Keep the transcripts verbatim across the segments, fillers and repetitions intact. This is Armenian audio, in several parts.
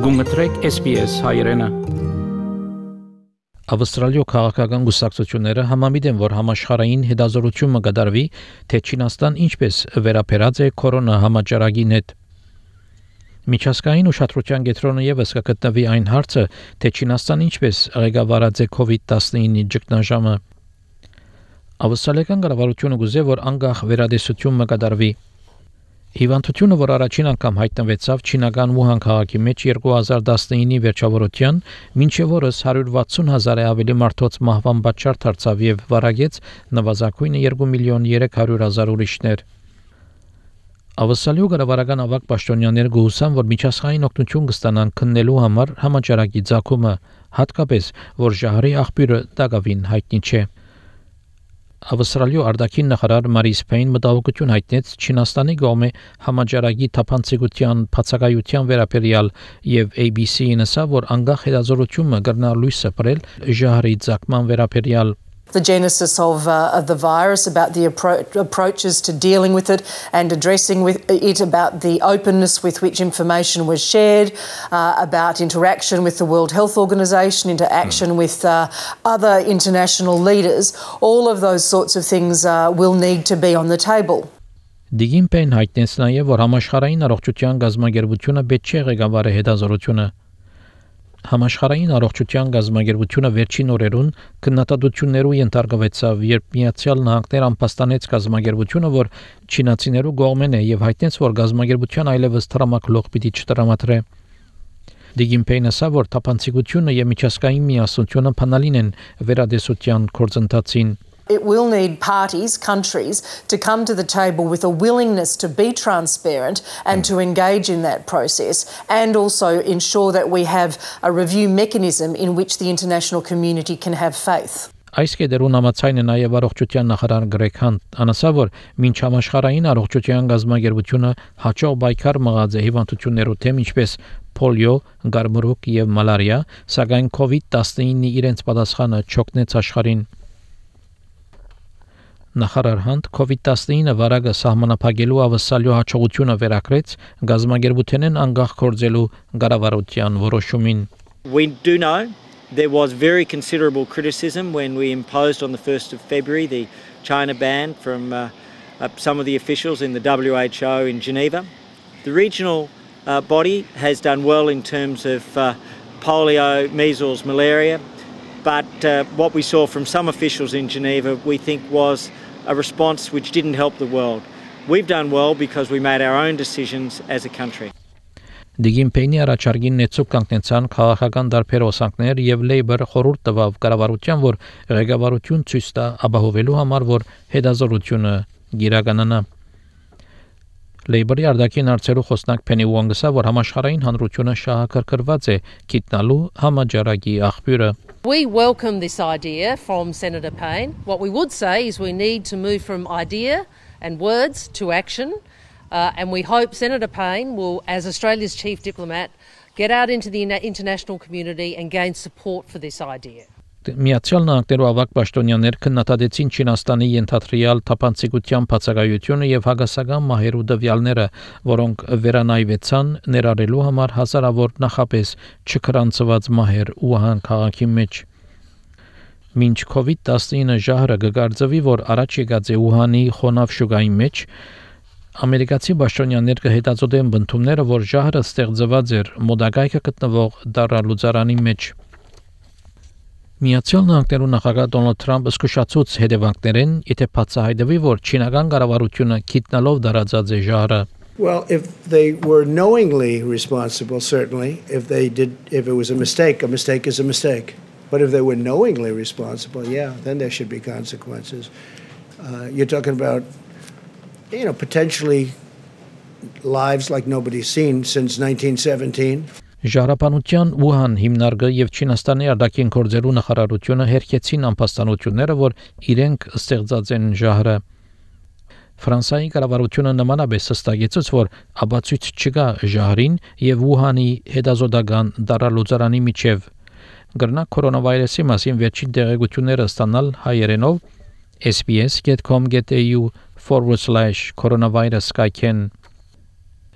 Գումտրեք S B S հայրենը։ Ավստրալիո քաղաքական գուսակցությունները համամիտ են, որ համաշխարհային հետազոտությունը կդարվի, թե Չինաստան ինչպես վերապերած է կորոնա համաճարակին հետ։ Միջազգային ուշադրության կենտրոնը ևս կգտնվի այն հարցը, թե Չինաստան ինչպես ղեկավարած է COVID nineteen ճգնաժամը։ Ավստրալիական կառավարությունը գուզե, որ անկախ վերադեսություն կդարվի։ Հիվանդությունը, որ առաջին անգամ հայտնվեցավ չինական Ուհան քաղաքի մեջ երկու հազար տասնինի վերջավորության, մինչև օրս հարյուր վաթսուն հազարի ավելի մարդոց մահվան պատճառ դարձավ եւ վարագեց նվազագույնը երկու միլիոն երեք հարյուր հազար ուրիշներ։ Ավստրալիո կառավարական ավագ պաշտոնյաներ գուհուսան, որ միջազգային օգնություն կստանան քննելու համար համաճարակի ցակումը, հատկապես որ ժահրի աղբյուրը դակավին հայտնի չէ։ Ավստրալիո արտաքին նախարար Մարիս Փեյն մտահոգություն հայտնեց Չինաստանի կողմէ համաճարակի թափանցիկության բացակայության վերաբերյալ եւ A B C-ին ասավ, որ անկախ հետազոտությունը կգնա լույս սփռել ժահրի ցակման վերաբերյալ։ The genesis of, uh, of the virus, about the appro- approaches to dealing with it and addressing with it, about the openness with which information was shared, uh, about interaction with the World Health Organization, interaction mm. with uh, other international leaders. All of those sorts of things uh, will need to be on the table. Դիգին Փեյն հայտնեց նաև, որ համաշխարհային առողջության գազագերբությունը պետք չէ ղեկավարի հետազոտությունը։ Համաշխարհային առողջության գազագերբությունը վերջին օրերուն քննադատություններու ենթարկվեցավ, երբ Միացյալ Նահանգներ ամփոստանեց գազագերբությունը, որ չինացիներու կողմեն է եւ հայտնեց, որ գազագերբության այլևս տրամակլող պիտի չտրամադրե։ Դիգին Փեյնը ասավ, որ թափանցիկությունը եւ միջազգային միասնությունը փանալին են վերադեսության կորձընթացին։ It will need parties, countries, to come to the table with a willingness to be transparent and to engage in that process, and also ensure that we have a review mechanism in which the international community can have faith. Այս կետերուն համաձայն է նաև առողջության նախարար Գրեգ Հանտ, անասավ, որ մինչ համաշխարհային առողջության գազագերբությունը հաջող պայքար մղած է հիվանդություններու թեմ, ինչպես պոլիո, գարմրուկ եւ մալարիա, սակայն COVID nineteen-ի իրենց պատասխանը չօգնեց աշխարհին։ Նախարար Հանտ COVID nineteen-ը վարակը սահմանափակելու ավսալյո հաջողությունը վերակրեց գազագերբութենեն անկախ կորձելու կառավարության որոշումին։ We do know there was very considerable criticism when we imposed on the first of February the China ban from uh, uh, some of the officials in the W H O in Geneva. The regional uh, body has done well in terms of uh, polio, measles, malaria, but uh, what we saw from some officials in Geneva we think was a response which didn't help the world. We've done well because we made our own decisions as a country. Դիգին Փեյնի առաջարկին նեցուկ կանգնեցան քաղաքական դարբեր օսանքներ եւ Labour խորհուրդ տվավ կառավարության, որ ղեկավարություն ցույց տա ապահովելու համար, որ հետազոտությունը գիրականանա։ Labour-ի արտաքին հարցերու խոսնակ Penny Wong ասա, որ համաշխարհային հանրությունը շահակրկրված է գիտնալու համաճարակի աղբյուրը։ We welcome this idea from Senator Payne. What we would say is we need to move from idea and words to action, uh, and we hope Senator Payne will, as Australia's chief diplomat, get out into the international community and gain support for this idea. Միացյալ Նահանգներու ավագ պաշտոնյաներ քննադատեցին Չինաստանի ենթադրյալ թափանցիկության բացակայությունը եւ հագասական մահերու տվյալները, որոնք վերանայվեցան ներառելու համար հազարավոր նախապես չքրանցված մահեր Ուհան քաղաքի մեջ։ Մինչ COVID nineteen-ը ժահրը կգարձվի, որ առաջ եկած է Ուհանի խոնավ շուգայի մեջ, ամերիկացի պաշտոնյաներ կհետազոտեն բնդումները, որ ժահրը ստեղծված էր մոդագայքը գտնվող դարալուծարանի մեջ։ Միացյալ Նահանգներու նախագահ Դոնալդ Թրամփը զսկուշացուց հետևանքներեն, եթե բացահայտվի, որ չինական կառավարությունը գիտնալով դարածած է ժահրը։ Well, if they were knowingly responsible, certainly. If they did, if it was a mistake, a mistake is a mistake. But if they were knowingly responsible, yeah, then there should be consequences. Uh, you're talking about, you know, potentially lives like nobody's seen since nineteen seventeen. Ժահրապանության Ուհան հիմնարկը եւ Չինաստանի արտաքին գործերու նախարարությունը հերքեցին ամփոստանությունները, որ իրենք ստեղծած են ժահրը։ Ֆրանսիայի կառավարությունը նմանապես հստակեցուց, որ աբացույց չկա ժահրին եւ Ուհանի հետազոտական դարալուծարանի միջև։ Գրնա կորոնավիրուսի մասին վերջին տեղեկությունները ստանալ հայերենով S B S dot com dot A U forward slash coronavirus skyken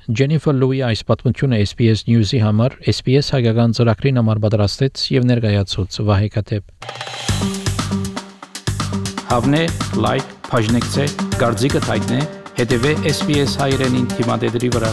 Ջենիֆեր Լուի այս պատմությունը S B S News-ի համար S B S հայկական ծրագրին համար պատրաստեց եւ ներկայացուց Վահե Կատեփ։ Հավնե, լայք, բաժնեկցե, դարձիկը թայտնե, հետեւե S B S հայրենին թիմադեդի վրա։